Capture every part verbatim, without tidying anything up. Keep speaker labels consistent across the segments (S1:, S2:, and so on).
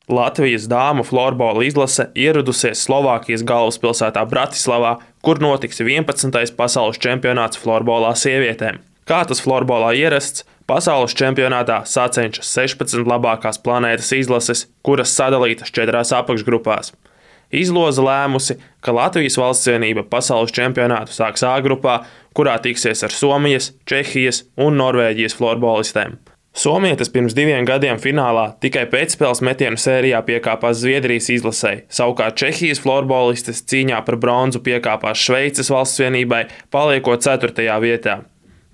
S1: Latvijas dāmu florbola izlase ieradusies Slovākijas galvaspilsētā Bratislavā, kur notiks vienpadsmitais pasaules čempionāts florbolā sievietēm. Kā tas florbolā ierasts, pasaules čempionātā sacenšas sešpadsmit labākās planētas izlases, kuras sadalītas četrās apakšgrupās. Izloze lēmusi, ka Latvijas valstsvienība pasaules čempionātu sāks A grupā, kurā tiksies ar Somijas, Čehijas un Norvēģijas florbolistēm. Somietes pirms diviem gadiem finālā tikai pēcspēles metienu sērijā piekāpās Zviedrijas izlasei, savukārt Čehijas florbolistes cīņā par bronzu piekāpās Šveices valstsvienībai, paliekot ceturtajā vietā.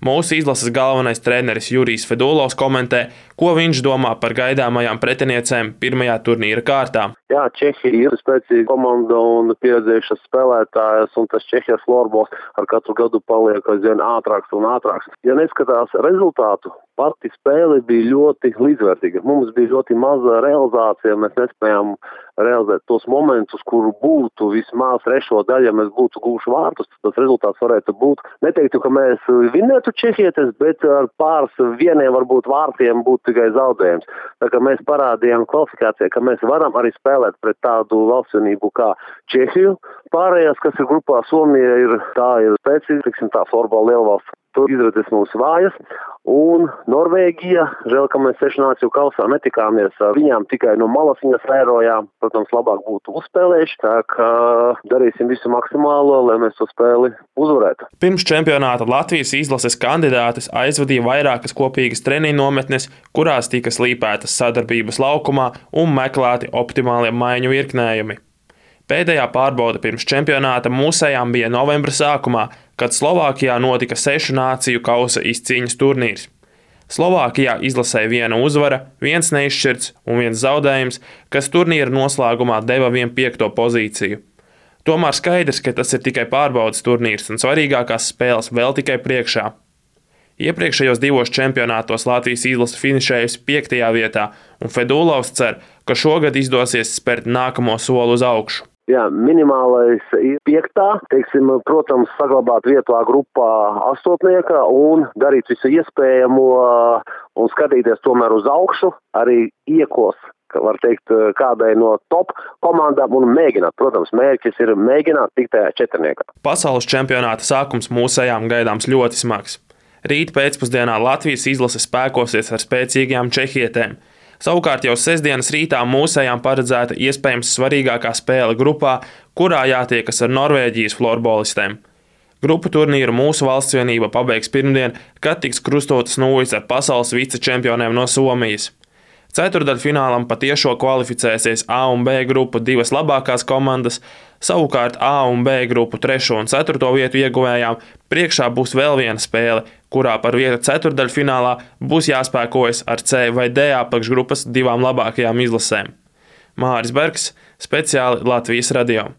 S1: Mūsu izlases galvenais treneris Jurijs Fedulovs komentē, ko viņš domā par gaidāmajām pretiniecēm pirmajā turnīra kārtā.
S2: Jā, Čehija ir spēcīga komanda un pieredzējušas spēlētājas, un tas Čehijas florbols ar katru gadu paliek aizvien ātrāks un ātrāks. Ja neskatās rezultātu, pati spēle bija ļoti līdzvērtīga. Mums bija ļoti maza realizācija, mēs nespējām realizēt tos momentus, kur būtu vismaz trešo daļu, ja mēs būtu guvuši vārtus, tas rezultāts varētu būt. Neteiktu, ka mēs vinētu Čehietes, bet ar pāris vieniem varbūt vārtiem būtu tikai zaudējums. Tā kā mēs parādījām kvalifikācijā, ka mēs varam arī spēlēt pret tādu valstsvienību kā Čehiju. Pārējās, kas ir grupā Somija, ir tā ir spēcīga, tiksim tā, florbola lielvalsts. Tur izredzes mūs vājas, un Norvēģija, žēl, ka mēs sešu nāciju kausā netikāmies ar viņām, tikai no malas viņas vērojām, protams, labāk būtu uzspēlējuši, tā kā darīsim visu maksimālo, lai mēs to spēli uzvarētu.
S1: Pirms čempionāta Latvijas izlases kandidātes aizvadīja vairākas kopīgas treniņu nometnes, kurās tika slīpētas sadarbības laukumā un meklēti optimālie maiņu virknējumi. Pēdējā pārbaude pirms čempionāta mūsējām bija novembra sākumā, kad Slovākijā notika sešu nāciju kausa izcīņas turnīrs. Slovākijā izlasēja viena uzvara, viens neizšķirts un viens zaudējums, kas turnīra noslēgumā deva vien piekto pozīciju. Tomēr skaidrs, ka tas ir tikai pārbaudes turnīrs un svarīgākās spēles vēl tikai priekšā. Iepriekšējos divos čempionātos Latvijas izlase finišējusi piektajā vietā, un Fedulovs cer, ka šogad izdosies spērt nākamo soli uz augšu.
S2: Jā, minimālais ir piektā, teiksim, protams, saglabāt vietu A grupā astotnieka un darīt visu iespējamo un skatīties tomēr uz augšu, arī iekos, var teikt, kādai no top komandām un mēģināt. Protams, mērķis ir mēģināt tikt tajā četrniekā.
S1: Pasaules čempionāta sākums mūsējām gaidāms ļoti smags. Rīt pēcpusdienā Latvijas izlase spēkosies ar spēcīgajām čehietēm. Savukārt jau sestdienas rītā mūsējām paredzēta iespējams svarīgākā spēle grupā, kurā jātiekas ar Norvēģijas florbolistēm. Grupu turnīru mūsu valstsvienība pabeigs pirmdien, kad tiks krustotas nūjas ar pasaules vicečempioniem no Somijas. Ceturdaļfinālam patiešo kvalificēsies A un B grupu divas labākās komandas, savukārt A un B grupu trešo un ceturto vietu ieguvējām priekšā būs vēl viena spēle, kurā par vietu ceturdaļfinālā būs jāspēkojas ar C vai D apakšgrupas divām labākajām izlasēm. Māris Bergs, speciāli Latvijas radio.